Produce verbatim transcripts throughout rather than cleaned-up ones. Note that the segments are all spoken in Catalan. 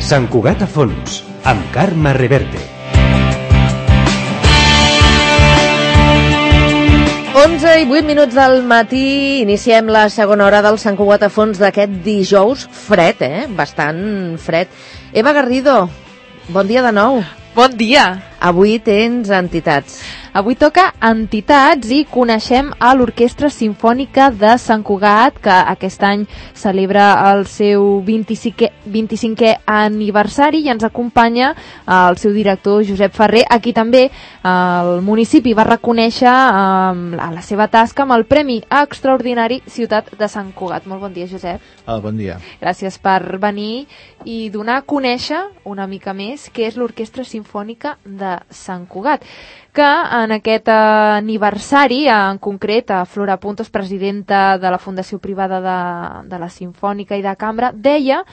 Sant Cugat a fons, amb Carme Reverte. onze i vuit minuts del matí, iniciem la segona hora del Sant Cugat a fons d'aquest dijous fred, eh? Bastant fred. Eva Garrido, bon dia de nou. Bon dia. Avui tens entitats. Avui toca entitats i coneixem a l'Orquestra Simfònica de Sant Cugat, que aquest any celebra el seu vint-i-cinquè, vint-i-cinquè aniversari, i ens acompanya el seu director Josep Ferrer, a qui també el municipi va reconèixer eh, la seva tasca amb el Premi Extraordinari Ciutat de Sant Cugat. Molt bon dia, Josep. Ah, bon dia. Gràcies per venir i donar a conèixer una mica més què és l'Orquestra Simfònica de Sant Cugat, que en aquest aniversari, en concret, a Flora Puntos, presidenta de la Fundació Privada de, de la Simfònica i de Cambra, deia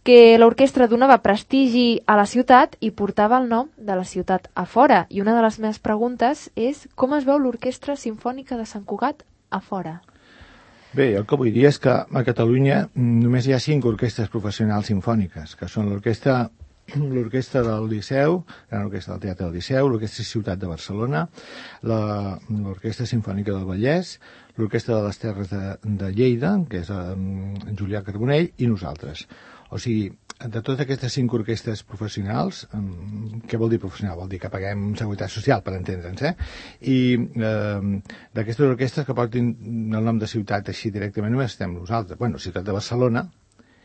que l'orquestra donava prestigi a la ciutat i portava el nom de la ciutat a fora. I una de les meves preguntes és com es veu l'Orquestra Simfònica de Sant Cugat a fora? Bé, el que vull dir és que a Catalunya només hi ha cinc orquestres professionals simfòniques, que són l'orquestra l'Orquestra del Liceu, l'Orquestra del Teatre del Liceu, l'Orquestra Ciutat de Barcelona, l'Orquestra Simfònica del Vallès, l'Orquestra de les Terres de, de Lleida, que és en Julià Carbonell, i nosaltres. O sigui, de totes aquestes cinc orquestres professionals, què vol dir professional? Vol dir que paguem seguretat social, per entendre'ns, eh? I eh, d'aquestes orquestres que portin el nom de ciutat així directament només estem nosaltres. Bueno, Ciutat de Barcelona,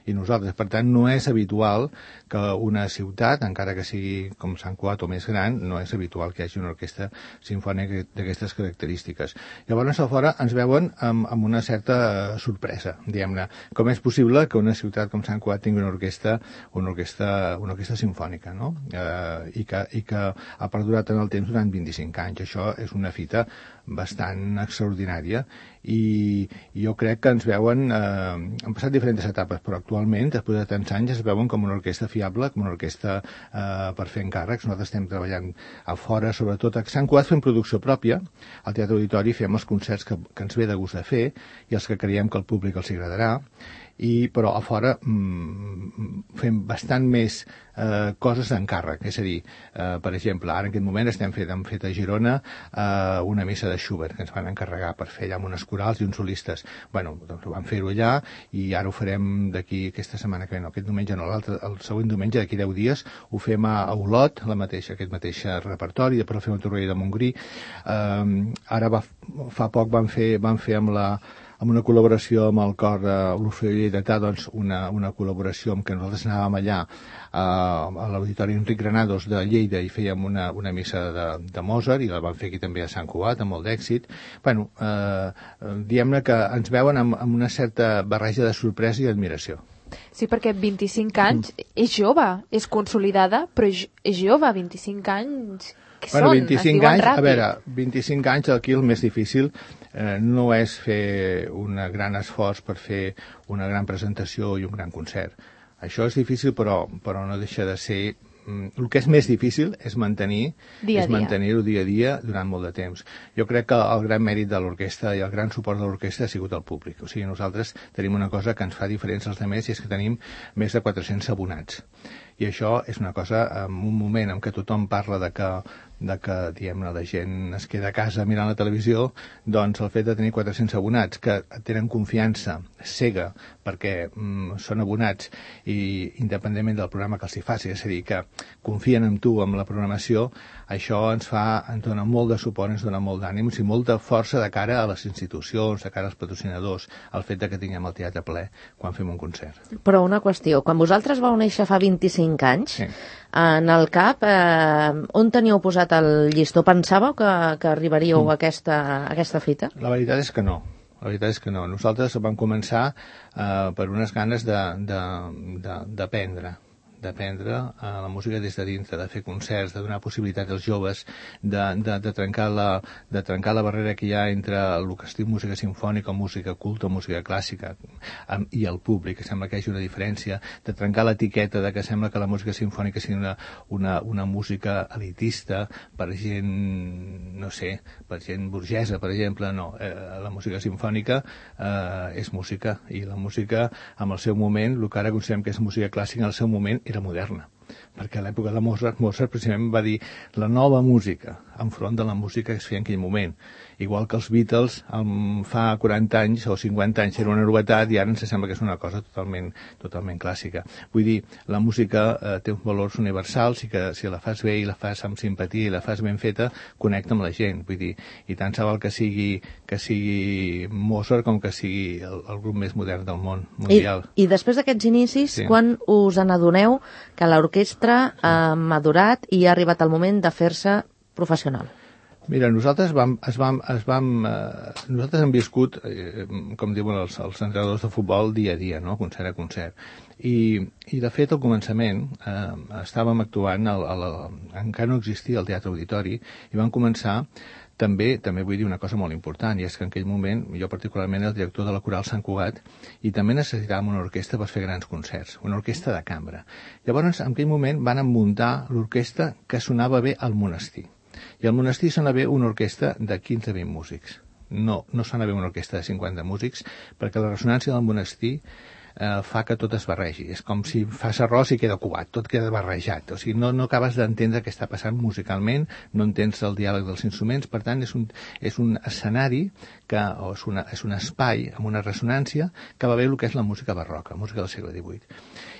i nosaltres. Per tant, no és habitual que una ciutat, encara que sigui com Sant Cugat o més gran, no és habitual que hi hagi una orquestra simfònica d'aquestes característiques. Llavors, a fora ens veuen amb, amb una certa sorpresa, diguem-ne. Com és possible que una ciutat com Sant Cugat tingui una orquestra, una orquestra, una orquestra simfònica, no? Eh, i, que, I que ha perdurat en el temps durant vint-i-cinc anys. Això és una fita bastant extraordinària i jo crec que ens veuen, eh, han passat diferents etapes, però actualment, després de tants anys, es veuen com una orquestra fiable, com una orquestra eh, per fer encàrrecs. Nosaltres estem treballant a fora, sobretot a Sant Cugat, fem producció pròpia, al Teatre Auditori fem els concerts que, que ens ve de gust de fer i els que creiem que al públic els agradarà, i, però a fora mm, fem bastant més eh, coses d'encàrrec, és a dir, eh, per exemple, ara en aquest moment estem fet, hem fet a Girona eh, una missa de Schubert, que ens van encarregar per fer allà amb unes corals i uns solistes. Bueno, doncs vam fer-ho allà i ara ho farem d'aquí aquesta setmana que ve, no, aquest diumenge no, l'altre, el següent diumenge, d'aquí deu dies, ho fem a Olot, la mateixa, aquest mateix repertori, després ho fem a Torroella de Montgrí. Eh, ara va, fa poc vam fer, vam fer amb la amb una col·laboració amb el cor de l'Orfeó Lleidatà, doncs una, una col·laboració amb què nosaltres anàvem allà eh, a l'Auditori Enric Granados de Lleida i fèiem una, una missa de, de Mozart, i la vam fer aquí també a Sant Cugat, amb molt d'èxit. Bueno, eh, diguem-ne que ens veuen amb, amb una certa barreja de sorpresa i admiració. Sí, perquè vint-i-cinc anys és jove, és consolidada, però és, és jove, vint-i-cinc anys... Què bueno, són? vint-i-cinc anys, ràpid. A veure, vint-i-cinc anys aquí el més difícil eh, no és fer un gran esforç per fer una gran presentació i un gran concert. Això és difícil, però, però no deixa de ser... El que és més difícil és mantenir dia és mantenir-ho dia a dia durant molt de temps. Jo crec que el gran mèrit de l'orquestra i el gran suport de l'orquestra ha sigut el públic. O sigui, nosaltres tenim una cosa que ens fa diferents als altres, i és que tenim més de quatre-cents abonats. I això és una cosa, en un moment en què tothom parla de que, de que diguem-ne, la gent es queda a casa mirant la televisió, doncs el fet de tenir quatre-cents abonats que tenen confiança cega perquè mm, són abonats i independentment del programa que els hi faci, és a dir, que confien en tu, amb la programació, això ens fa, ens dona molt de suport, ens dona molt d'ànims i molta força de cara a les institucions, de cara als patrocinadors, el fet de que tinguem el teatre ple quan fem un concert. Però una qüestió, quan vosaltres vau néixer fa vint-i-cinc anys, sí. En el cap, eh, on teníeu posat el llistó? Pensàveu que, que arribaríeu mm. a, aquesta, a aquesta fita? La veritat és que no. La veritat és que no. Nosaltres vam començar eh, per unes ganes d'aprendre. d'aprendre uh, la música des de dintre, de fer concerts, de donar possibilitat als joves, de, de, de, trencar la, de trencar la barrera que hi ha entre el que es diu música simfònica, música culta, música clàssica, um, i el públic, que sembla que hi hagi una diferència, de trencar l'etiqueta de que sembla que la música simfònica sigui una, una, una música elitista per gent, no sé, per gent burgesa, per exemple. No, eh, la música simfònica eh, és música, i la música, en el seu moment, el que ara considerem que és música clàssica, en el seu moment era moderna, perquè a l'època de Mozart, Mozart precisament va dir la nova música enfront de la música que es feia en aquell moment. Igual que els Beatles um, fa quaranta anys o cinquanta anys era una novetat i ara ens sembla que és una cosa totalment, totalment clàssica. Vull dir, la música eh, té uns valors universals i que si la fas bé i la fas amb simpatia i la fas ben feta, connecta amb la gent. Vull dir, i tant se val que sigui, que sigui Mozart com que sigui el, el grup més modern del món mundial. I, i després d'aquests inicis, sí. Quan us n'adoneu que l'orquestra ha madurat i ha arribat el moment de fer-se professional? Mira, nosaltres vam, es vam, es vam, eh, nosaltres hem viscut, eh, com diuen els, els entrenadors de futbol, dia a dia, no? Concert a concert. I, i de fet, al començament, eh, estàvem actuant, al, al, encara no existia el Teatre Auditori, i vam començar també, també vull dir una cosa molt important, i és que en aquell moment, jo particularment era el director de la Coral Sant Cugat, i també necessitàvem una orquestra per fer grans concerts, una orquestra de cambra. Llavors, en aquell moment, van muntar l'orquestra que sonava bé al monestir. I al monestir sona bé una orquestra de quinze a vint músics. No, no sona bé una orquestra de cinquanta músics, perquè la ressonància del monestir eh, fa que tot es barregi. És com si fas arròs i queda cubat, tot queda barrejat. O sigui, no, no acabes d'entendre què està passant musicalment, no entens el diàleg dels instruments, per tant, és un, és un escenari que, o és, una, és un espai amb una ressonància que va bé el que és la música barroca, música del segle divuit.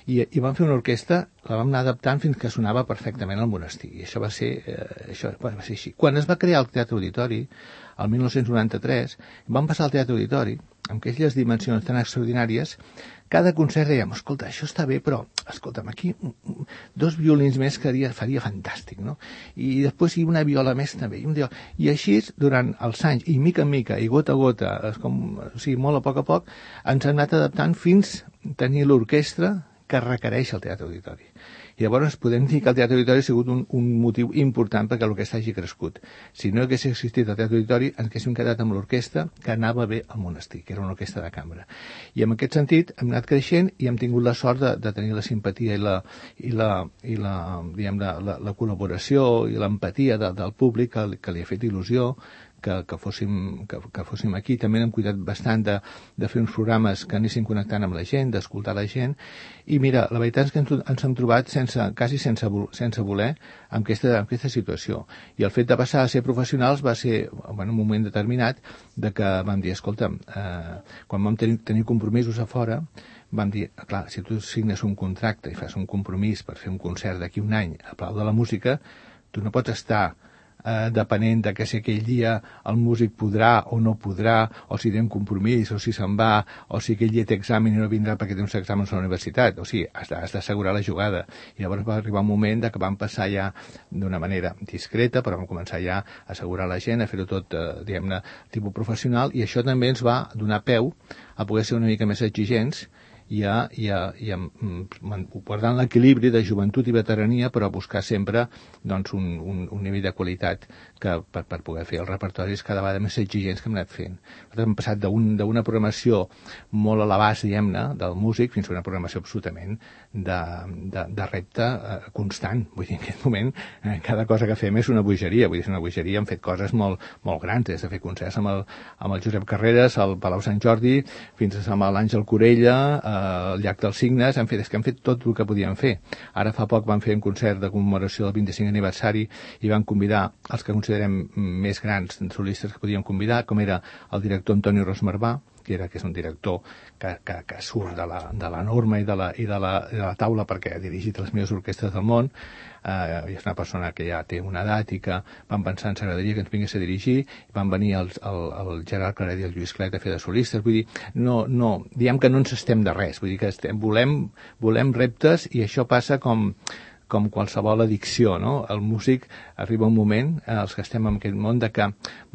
I, i vam fer una orquestra, la vam anar adaptant fins que sonava perfectament al monestir. I això va ser, eh, això va ser així. Quan es va crear el Teatre Auditori, el mil nou-cents noranta-tres, vam passar al Teatre Auditori, amb aquelles dimensions tan extraordinàries, cada concert dèiem, escolta, això està bé, però, escolta'm, aquí dos violins més faria, faria fantàstic, no? I després i una viola més també. I, un viola. I així, durant els anys, i mica en mica, i gota a gota, com, o sigui, molt a poc a poc, ens hem anat adaptant fins a tenir l'orquestra que requereix el Teatre Auditori. I llavors podem dir que el Teatre Auditori ha sigut un, un motiu important perquè l'orquestra hagi crescut. Si no hagués existit el Teatre Auditori, ens haguéssim quedat amb l'orquestra que anava bé al monestir, que era una orquestra de cambra. I en aquest sentit hem anat creixent i hem tingut la sort de, de tenir la simpatia i la, i la, i la, diguem, la, la, la col·laboració i l'empatia de, del públic que, que li ha fet il·lusió que, que, fóssim, que, que fóssim aquí. També hem cuidat bastant de, de fer uns programes que anessin connectant amb la gent, d'escoltar la gent. I mira, la veritat és que ens, ens hem trobat sense, quasi sense, sense voler en aquesta, en aquesta situació. I el fet de passar a ser professionals va ser, bueno, un moment determinat de que vam dir, escolta'm, eh, quan vam tenir, tenir compromisos a fora, vam dir, clar, si tu signes un contracte i fas un compromís per fer un concert d'aquí un any a Palau de la Música, tu no pots estar eh, depenent de que si aquell dia el músic podrà o no podrà, o si té un compromís, o si se'n va, o si aquell dia té examen i no vindrà perquè té uns exàmens a la universitat. O sigui, has d'assegurar la jugada. I llavors va arribar un moment de que vam passar ja d'una manera discreta, però vam començar ja a assegurar la gent, a fer-ho tot, eh, diguem-ne, tipus professional, i això també ens va donar peu a poder ser una mica més exigents i a, i a, i a guardant l'equilibri de joventut i veterania, però a buscar sempre doncs, un, un, un nivell de qualitat que, per, per poder fer els repertoris cada vegada més exigents que hem anat fent. Nosaltres hem passat d'una un, programació molt a l'abast, diguem-ne, del músic, fins a una programació absolutament de, de, de repte eh, constant. Vull dir, en aquest moment, eh, cada cosa que fem és una bogeria. Vull dir, és una bogeria, hem fet coses molt, molt grans, des de fer concerts amb el, amb el Josep Carreras, al Palau Sant Jordi, fins a amb l'Àngel Corella, eh, al Llac dels Cignes, hem fet, és que hem fet tot el que podíem fer. Ara fa poc vam fer un concert de commemoració del vint-i-cinquè aniversari i vam convidar els que considerem més grans solistes que podíem convidar, com era el director Antonio Rosmarbà, que, era, que és un director que, que, que surt de la, de la norma i de la, i de la, de la taula perquè ha dirigit les millors orquestres del món, eh, i és una persona que ja té una edat i que vam pensar ens agradaria que ens vingués a dirigir, i van venir el, el, el Gerard Claret i el Lluís Clet a fer de solistes. Vull dir, no, no, diem que no ens estem de res, vull dir que estem, volem, volem reptes, i això passa com com qualsevol addicció, no? El músic arriba un moment, eh, els que estem en aquest món, de que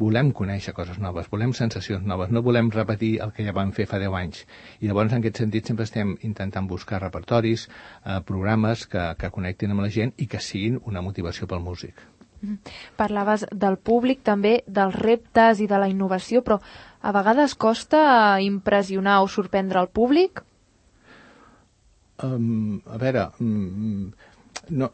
volem conèixer coses noves, volem sensacions noves, no volem repetir el que ja vam fer fa deu anys. I llavors, en aquest sentit, sempre estem intentant buscar repertoris, eh, programes que, que connectin amb la gent i que siguin una motivació pel músic. Parlaves del públic, també dels reptes i de la innovació, però a vegades costa impressionar o sorprendre el públic? Um, a veure... Um, No,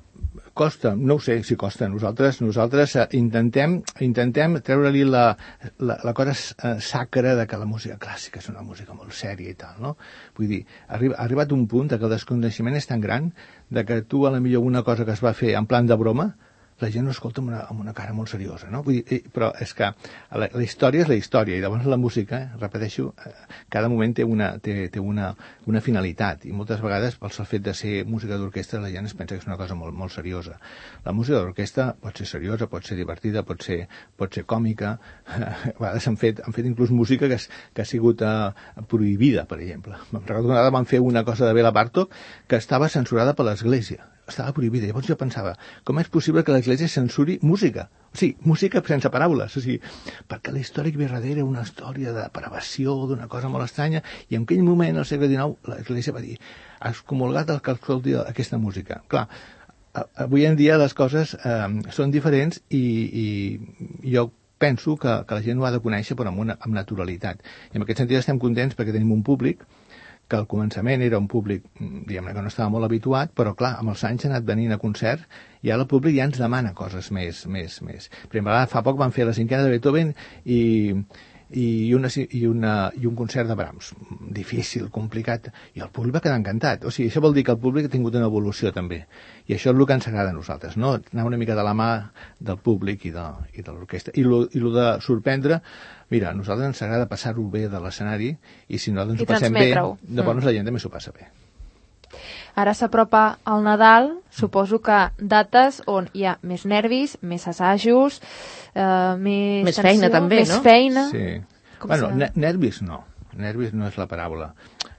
costa, no ho sé si costa. Nosaltres, nosaltres intentem, intentem treure-li la, la, la cosa sacra de que la música clàssica és una música molt sèria i tal, no? Vull dir, arriba, ha arribat un punt de que el desconeixement és tan gran de que tu, a la millor, una cosa que es va fer en plan de broma, la gent ho escolta amb una, amb una cara molt seriosa, no? Vull dir, però és que la, la història és la història, i llavors la música, eh, repeteixo, eh, cada moment té una, té, té una, una finalitat, i moltes vegades, pel sol fet de ser música d'orquestra, la gent es pensa que és una cosa molt, molt seriosa. La música d'orquestra pot ser seriosa, pot ser divertida, pot ser, pot ser còmica, a vegades han fet, han fet inclús música que, és, que ha sigut eh, prohibida, per exemple. Em recordo que una vegada van fer una cosa de Bela Bartók que estava censurada per l'Església. Estava prohibida. Llavors jo pensava, com és possible que l'Església censuri música? O sigui, música sense paraules. O sigui, perquè la història que ve darrere una història de depravació, d'una cosa molt estranya, i en aquell moment, al segle dinou, l'Església va dir, has comulgat el que escolti aquesta música. Clar, avui en dia les coses eh, són diferents i, i jo penso que, que la gent ho ha de conèixer, però amb, una, amb naturalitat. I en aquest sentit estem contents perquè tenim un públic que al començament era un públic, diguem-ne, que no estava molt habituat, però clar, amb els anys ha anat venint a concert i ara el públic ja ens demana coses més, més, més. Per exemple, fa poc van fer la cinquena de Beethoven i, i, una, i, una, i un concert de Brahms. Difícil, complicat, i el públic va quedar encantat. O sigui, això vol dir que el públic ha tingut una evolució també. I això és el que ens agrada a nosaltres, no? Anar una mica de la mà del públic i de, i de l'orquestra. I el de sorprendre, mira, a nosaltres ens agrada passar-ho bé de l'escenari i si no ens ho passem bé, llavors mm. la gent també s'ho passa bé. Ara s'apropa el Nadal, suposo que dates on hi ha més nervis, més assajos, eh, més, més tensió, feina també, més no? feina. Sí. Com Bueno, nervis no. Nervis no és la paraula.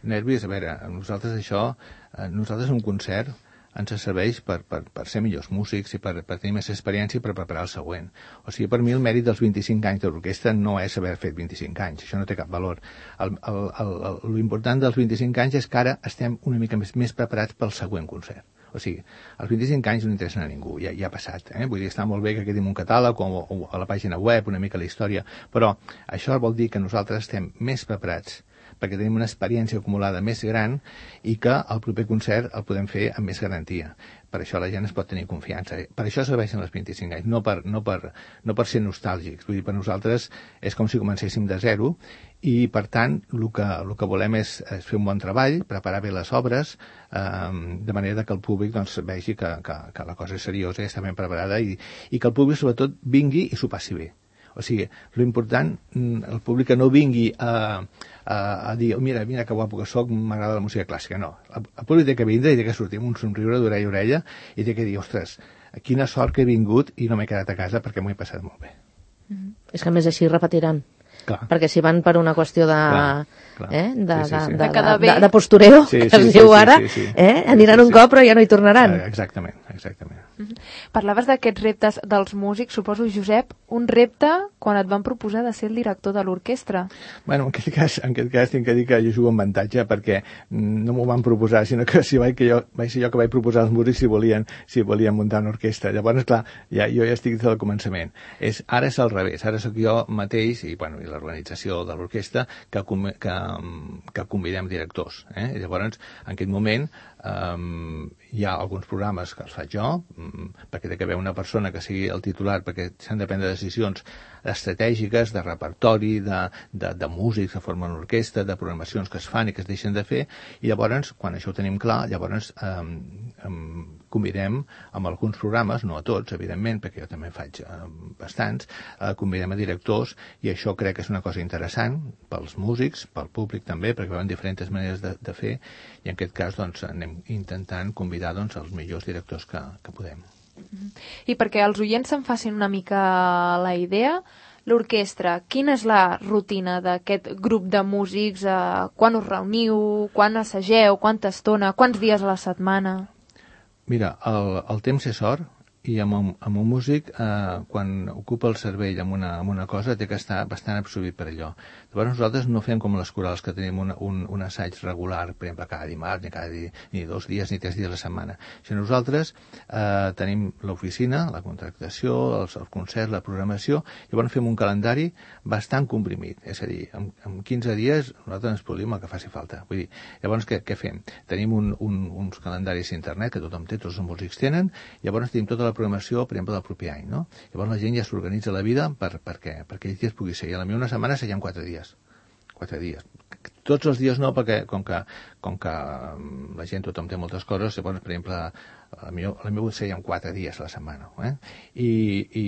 Nervis, a veure, nosaltres això, nosaltres un concert ens serveix per, per, per ser millors músics i per, per tenir més experiència i per preparar el següent. O sigui, per mi el mèrit dels vint-i-cinc anys de l'orquestra no és haver fet vint-i-cinc anys, això no té cap valor. El, el, el, el, l'important dels vint-i-cinc anys és que ara estem una mica més, més preparats pel següent concert. O sigui, als vint-i-cinc anys no interessen a ningú, ja, ja ha passat. Eh? Vull dir, està molt bé que quedi un catàleg o, o a la pàgina web, una mica la història, però això vol dir que nosaltres estem més preparats perquè tenim una experiència acumulada més gran i que el proper concert el podem fer amb més garantia. Per això la gent es pot tenir confiança. Per això serveixen els vint-i-cinc anys, no per, no per, no per ser nostàlgics. Vull dir, per nosaltres és com si comencéssim de zero i, per tant, el que, el que volem és, és fer un bon treball, preparar bé les obres, eh, de manera que el públic doncs, vegi que, que, que la cosa és seriosa i està ben preparada i, i que el públic, sobretot, vingui i s'ho passi bé. O sigui, l'important, el públic que no vingui a, a, a dir, mira, mira que guapo que soc, m'agrada la música clàssica. No, el, el públic té que vindre i té que sortir amb un somriure d'orella a orella i té que dir, ostres, quina sort que he vingut i no m'he quedat a casa perquè m'ho he passat molt bé. Mm-hmm. És que a més així repetiran. Clar. Perquè si van per una qüestió de, clar, clar. Eh, de, sí, sí, sí. de, de, de, de, de, de postureo, sí, que sí, es sí, diu sí, ara, sí, sí, sí. Eh? Aniran sí, sí, un cop però ja no hi tornaran. Exactament, exactament. Parlaves d'aquests reptes dels músics, suposo, Josep, un repte quan et van proposar de ser el director de l'orquestra. Bueno, en aquest cas, en aquest cas tinc que dir que jo jugo amb avantatge perquè no m'ho van proposar, sinó que si vaig, que jo, vaig ser jo que vaig proposar als músics si volien, si volien muntar una orquestra. Llavors, clar, ja, jo ja estic des del començament. És, ara és al revés, ara sóc jo mateix i, bueno, i l'organització de l'orquestra que, que, que convidem directors. Eh? I llavors, en aquest moment, Um, hi ha alguns programes que els faig jo, um, perquè té que haver una persona que sigui el titular, perquè s'han de prendre decisions estratègiques, de repertori, de, de, de músics que formen orquestra, de programacions que es fan i que es deixen de fer, i llavors, quan això ho tenim clar, llavors um, um, convidem amb alguns programes, no a tots, evidentment, perquè jo també faig uh, bastants, uh, convidem a directors, i això crec que és una cosa interessant pels músics, pel públic també, perquè veuen diferents maneres de, de fer, i en aquest cas, doncs, anem intentant convidar doncs, els millors directors que, que podem. I perquè els oients se'n facin una mica la idea, l'orquestra, quina és la rutina d'aquest grup de músics? Eh, quan us reuniu? Quan assageu? Quanta estona? Quants dies a la setmana? Mira, el, el temps és or i amb un, amb un músic, eh, quan ocupa el cervell amb una, amb una cosa, té que estar bastant absorbit per allò. Llavors nosaltres no fem com les corals, que tenim una, un, un assaig regular, per exemple, cada dimarts, ni cada di, ni dos dies, ni tres dies a la setmana. Si nosaltres eh, tenim l'oficina, la contractació, els, els concerts, la programació, llavors fem un calendari bastant comprimit. És a dir, en, en quinze dies nosaltres ens produïm el que faci falta. Vull dir, llavors què, què fem? Tenim un, un, uns calendaris d'internet que tothom té, tots els músics tenen, llavors tenim tota la programació, per exemple, del proper any, no? Llavors la gent ja s'organitza la vida per, per què? Perquè ells dies pugui ser. I a la meva una setmana seien quatre dies. Quatre dies. Tots els dies no, perquè com que, com que la gent, tothom té moltes coses, llavors, per exemple, a la meva, a la meva seien quatre dies a la setmana. Eh? I, i,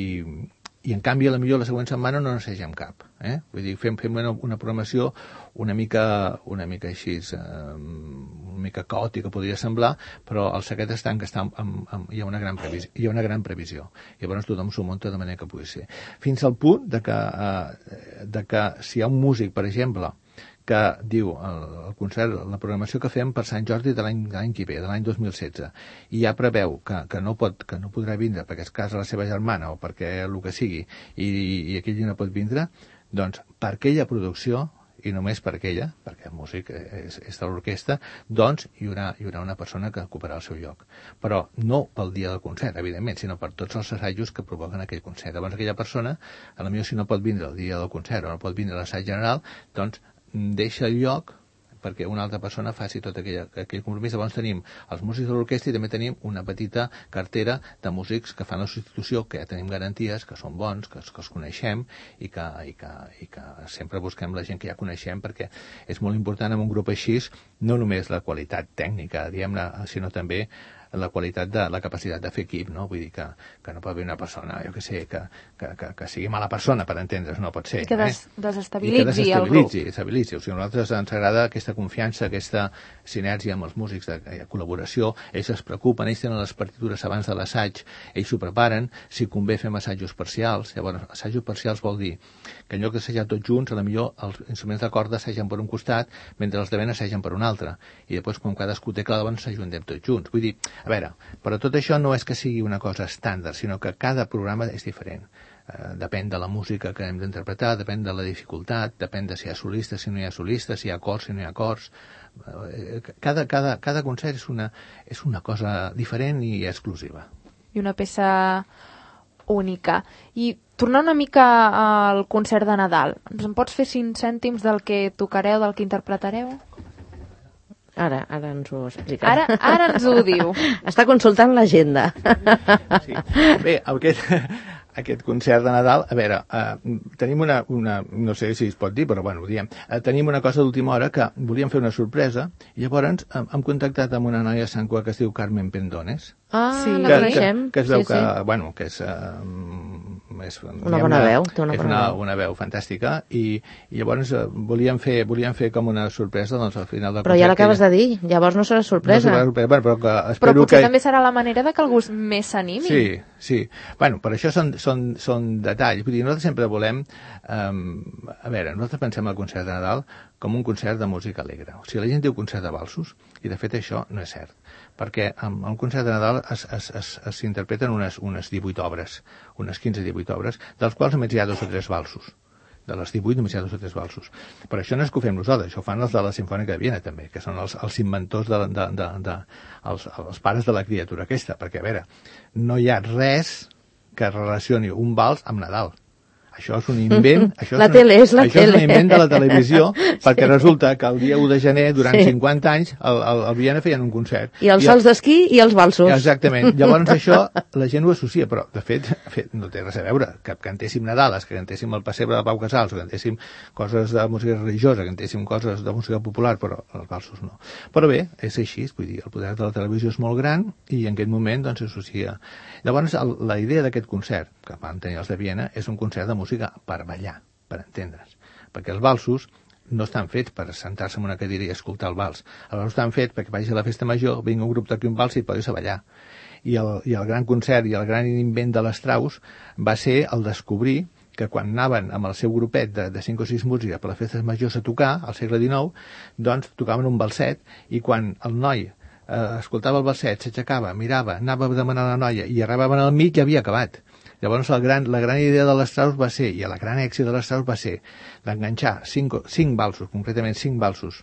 I en canvi, a la millor la següent setmana no n'assegem cap. Eh? Vull dir, fem, fem una, una programació una mica, una mica així, eh, una mica caòtica podria semblar, però el secret està en que està amb, amb, amb, hi ha una gran previsió, hi ha una gran previsió. Llavors tothom s'ho munta de manera que pugui ser. Fins al punt de que, eh, de que si hi ha un músic, per exemple, que diu el, el concert, la programació que fem per Sant Jordi de l'any que ve, de l'any dos mil setze, i ja preveu que, que, no pot, que no podrà vindre perquè es casa la seva germana o perquè el que sigui, i, i aquell dia no pot vindre, doncs per aquella producció, i només per aquella, perquè el músic és, és de l'orquestra, doncs hi haurà, hi haurà una persona que ocuparà el seu lloc. Però no pel dia del concert, evidentment, sinó per tots els assajos que provoquen aquell concert. Llavors aquella persona, a la millor si no pot vindre el dia del concert o no pot vindre a l'assaig general, doncs deixa el lloc perquè una altra persona faci tot aquell, aquell compromís. Llavors tenim els músics de l'orquestra i també tenim una petita cartera de músics que fan la substitució, que ja tenim garanties, que són bons, que, que els coneixem i que, i, que, i que sempre busquem la gent que ja coneixem, perquè és molt important en un grup així no només la qualitat tècnica, diguem-ne, sinó també la qualitat de la capacitat de fer equip, no? Vull dir que, que no pot haver una persona, jo que sé, que, que, que, que sigui mala persona, per entendre's, no pot ser. I que des, eh? desestabilitzi, I que desestabilitzi el grup. Desestabilitzi. O sigui, a nosaltres ens agrada aquesta confiança, aquesta sinergia amb els músics de, de col·laboració. Ells es preocupen, ells tenen les partitures abans de l'assaig, ells s'ho preparen, si convé fem assajos parcials. Llavors, assajos parcials vol dir que en lloc d'assajar tots junts, a la millor els instruments de corda assagen per un costat, mentre els de vent assagen per un altre. I després, quan cadascú té clar, doncs s'ajuntem tots junts. Vull dir, a veure, però tot això no és que sigui una cosa estàndard, sinó que cada programa és diferent. Eh, depèn de la música que hem d'interpretar, depèn de la dificultat, depèn de si hi ha solistes, si no hi ha solistes, si hi ha cors, si no hi ha cors. Eh, cada, cada, cada concert és una, és una cosa diferent i exclusiva. I una peça única. I tornant una mica al concert de Nadal, ens en pots fer cinc cèntims del que tocareu, del que interpretareu? Ara, ara ens ho explica. Ara, ara ens ho diu. Està consultant l'agenda. Sí. Bé, aquest, aquest concert de Nadal, a veure, eh, tenim una, una, no sé si es pot dir, però bueno, ho diem, eh, tenim una cosa d'última hora que volíem fer una sorpresa i llavors eh, hem contactat amb una noia de Sant Cugat que es diu Carmen Pendones. Ah, sí, la que, coneixem. que, que es veu sí, que, sí. bueno, que és, uh, és una bona veu, té una és bona una, veu. una veu fantàstica i, i llavors uh, volíem, fer, volíem fer com una sorpresa doncs, al final del però ja l'acabes ella... de dir, llavors no serà sorpresa. No serà sorpresa, bueno, però, que espero però potser que... també serà la manera de que algú més s'animi. Sí, sí. Bueno, per això són, són, són detalls. Vull dir, nosaltres sempre volem... Um, a veure, nosaltres pensem el concert de Nadal com un concert de música alegre. O sigui, la gent diu concert de valsos, i de fet això no és cert. Perquè amb el concert de Nadal s'interpreten unes, unes divuit obres, unes quinze divuit obres, dels quals només hi ha dos o tres valsos. De les divuit només hi ha dos o tres valsos. Però això no és que ho fem nosaltres, això ho fan els de la Simfònica de Viena també, que són els, els inventors, de, de, de, de, els, els pares de la criatura aquesta, perquè a veure, no hi ha res que relacioni un vals amb Nadal. Això és un invent... Això la és tele és la això tele. és un invent de la televisió, perquè resulta que el dia u de gener, durant sí. cinquanta anys, al, al, al Viena feien un concert. I els sols d'esquí i els valsos. Exactament. Llavors això la gent ho associa, però de fet, de fet no té res a veure. Que cantéssim Nadales, que cantéssim el Pessebre de Pau Casals, que cantéssim coses de música religiosa, que cantéssim coses de música popular, però els valsos no. Però bé, és així, vull dir, el poder de la televisió és molt gran i en aquest moment doncs s'associa. Llavors el, la idea d'aquest concert, que van tenir els de Viena, és un concert de música per ballar, per entendre's. Perquè els valsos no estan fets per sentar-se en una cadira i escoltar el vals. Els valsos estan fets perquè vagis a la festa major, vingui un grup d'aquí un vals i et podis a ballar. I el, I el gran concert i el gran invent de l'Strauss va ser el descobrir que quan anaven amb el seu grupet de, de cinc o sis músics per les festes majors a tocar, al segle dinou, doncs tocaven un valset i quan el noi eh, escoltava el verset, s'aixecava, mirava, anava a demanar a la noia i arribaven al mig i havia acabat. Llavors la gran, la gran idea de l'Strauss va ser, i el gran èxit de l'Strauss va ser, d'enganxar cinc, cinc valsos, concretament cinc valsos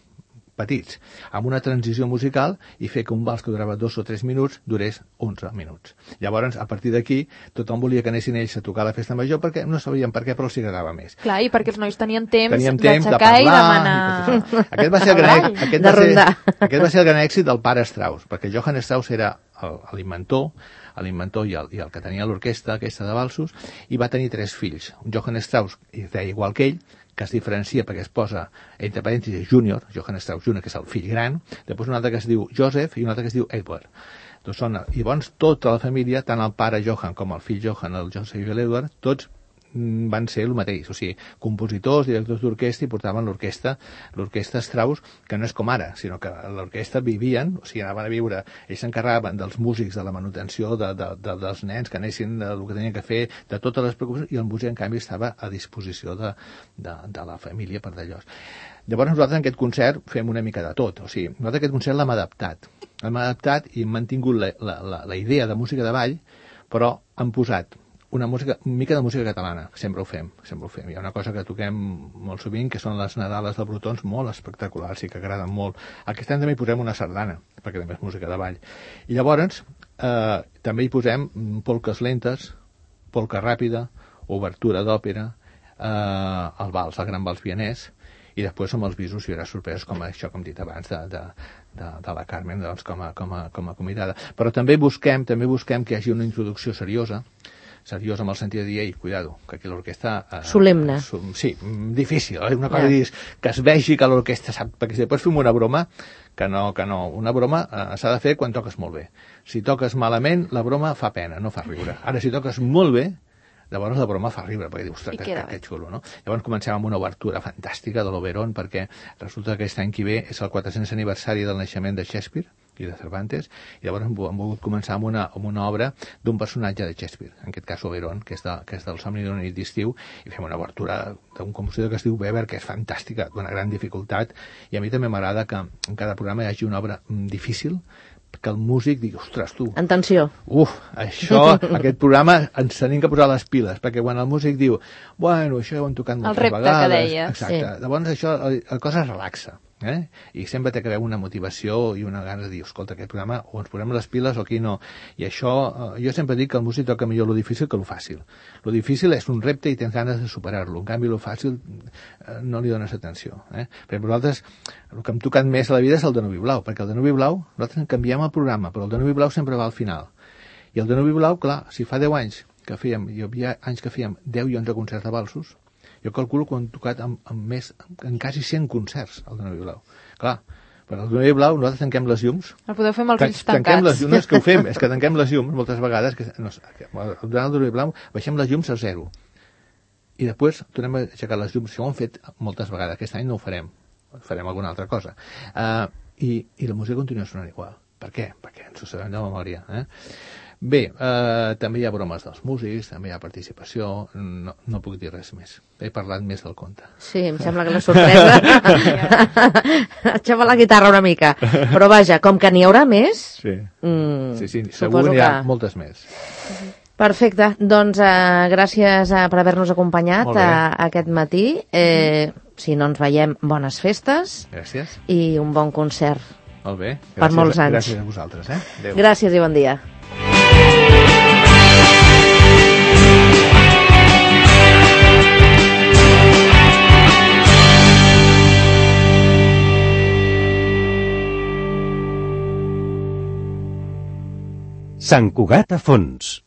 petits, amb una transició musical i fer que un vals que durava dos o tres minuts durés onze minuts. Llavors, a partir d'aquí, tothom volia que anessin ells a tocar la festa major perquè no sabien per què, però els agradava més. Clar, i perquè els nois tenien temps d'aixecar de parlar, i demanar... I aquest va ser el gran, aquest va ser, aquest va ser el gran èxit del pare Strauss, perquè Johann Strauss era l'inventor, l'inventor i, el, i el que tenia l'orquestra aquesta de valsos, i va tenir tres fills. Un Johann Strauss, i es deia igual que ell, que es diferencia perquè es posa entre parèntesis júnior, Johann Strauss júnior, que és el fill gran, després un altre que es diu Joseph i un altre que es diu Edward. Doncs són, i llavors tota la família, tant el pare Johann com el fill Johann, el Joseph i l'Edward, tots van ser el mateix, o sigui, compositors, directors d'orquestra, i portaven l'orquestra, l'orquestra Strauss, que no és com ara, sinó que l'orquestra vivien, o sigui, anaven a viure, ells s'encarregaven dels músics, de la manutenció, de, de, de, dels nens que anessin, del que tenien que fer, de totes les preocupacions, i el músic, en canvi, estava a disposició de, de, de la família per d'allò. Llavors nosaltres en aquest concert fem una mica de tot, o sigui, nosaltres aquest concert l'hem adaptat, l'hem adaptat i hem mantingut la, la, la, la idea de música de ball, però hem posat una música, una mica de música catalana, sempre ho fem, sempre ho fem. Hi ha una cosa que toquem molt sovint, que són les Nadales de Brotons, molt espectaculars i que agraden molt. Aquest any també hi posem una sardana, perquè també és música de ball. I llavors eh, també hi posem polques lentes, polca ràpida, obertura d'òpera, eh, el vals, el gran vals vienès, i després amb els visos hi haurà sorpreses com això que hem dit abans de, de, de, de la Carmen, doncs, com, a, com, a, com a convidada. Però també busquem, també busquem que hi hagi una introducció seriosa, seriós amb el sentit de dir, ei, cuidado, que aquí l'orquestra... Eh, solemne. Sí, difícil, eh? Una cosa yeah. que es vegi que l'orquestra sap, perquè si després fem una broma, que no, que no, una broma eh, s'ha de fer quan toques molt bé. Si toques malament, la broma fa pena, no fa riure. Ara, si toques molt bé, llavors la broma fa riure, perquè dius, ostres, que, que, que xulo, no? Llavors comencem amb una obertura fantàstica de l'Oberon, perquè resulta que aquest any que ve és el quatre-cents aniversari del naixement de Shakespeare i de Cervantes, i llavors hem, hem volgut començar amb una, amb una obra d'un personatge de Shakespeare, en aquest cas Oberon, que és, de, que és del Somni d'una nit d'estiu, i fem una obertura d'un compositor que es diu Weber, que és fantàstica, d'una gran dificultat, i a mi també m'agrada que en cada programa hi hagi una obra difícil, que el músic digui, ostres, tu... En tensió. Uf, això, aquest programa ens tenim que posar les piles, perquè quan el músic diu, bueno, això ho hem tocat moltes vegades... El repte que deia. Exacte. Sí. Llavors això, la cosa es relaxa. Eh? I sempre té que haver una motivació i una gana de dir, escolta, aquest programa o ens posem les piles o aquí no. I això, eh, jo sempre dic que el músic toca millor lo difícil que lo fàcil. Lo difícil és un repte i tens ganes de superar-lo. En canvi, lo fàcil eh, no li dones atenció. Eh? Perquè nosaltres, el que hem tocat més a la vida és el Danubi Blau, perquè el Danubi Blau, nosaltres canviem el programa, però el Danubi Blau sempre va al final. I el Danubi Blau, clar, si fa deu anys que fèiem, hi havia anys que fèiem deu i onze concerts de valsos, jo calculo que ho hem tocat amb, amb més, en quasi cent concerts, el Danubi Blau. Clar, per al Danubi Blau nosaltres tanquem les llums. El podeu fer amb els ulls tancats. Tanquem les llums, no és que ho fem, és que tanquem les llums moltes vegades, que, no, durant el Danubi Blau baixem les llums a zero. I després tornem a aixecar les llums, això ho hem fet moltes vegades, aquest any no ho farem, farem alguna altra cosa. Uh, i, I la música continua sonant igual. Per què? Perquè ens ho sabem de memòria. Eh? Bé, eh, també hi ha bromes dels músics, també hi ha participació, no, no puc dir res més. He parlat més del conte. Sí, em sembla que la sorpresa... Aixefa la guitarra una mica. Però vaja, com que n'hi haurà més... Sí, mm, sí, sí segur n'hi ha que... moltes més. Perfecte, doncs eh, gràcies eh, per haver-nos acompanyat eh, aquest matí. Eh, si no ens veiem, bones festes. Gràcies. I un bon concert. Molt bé. Gràcies, per molts anys. Gràcies a vosaltres. Eh? Adéu. Gràcies i bon dia. Sant Cugat a fons.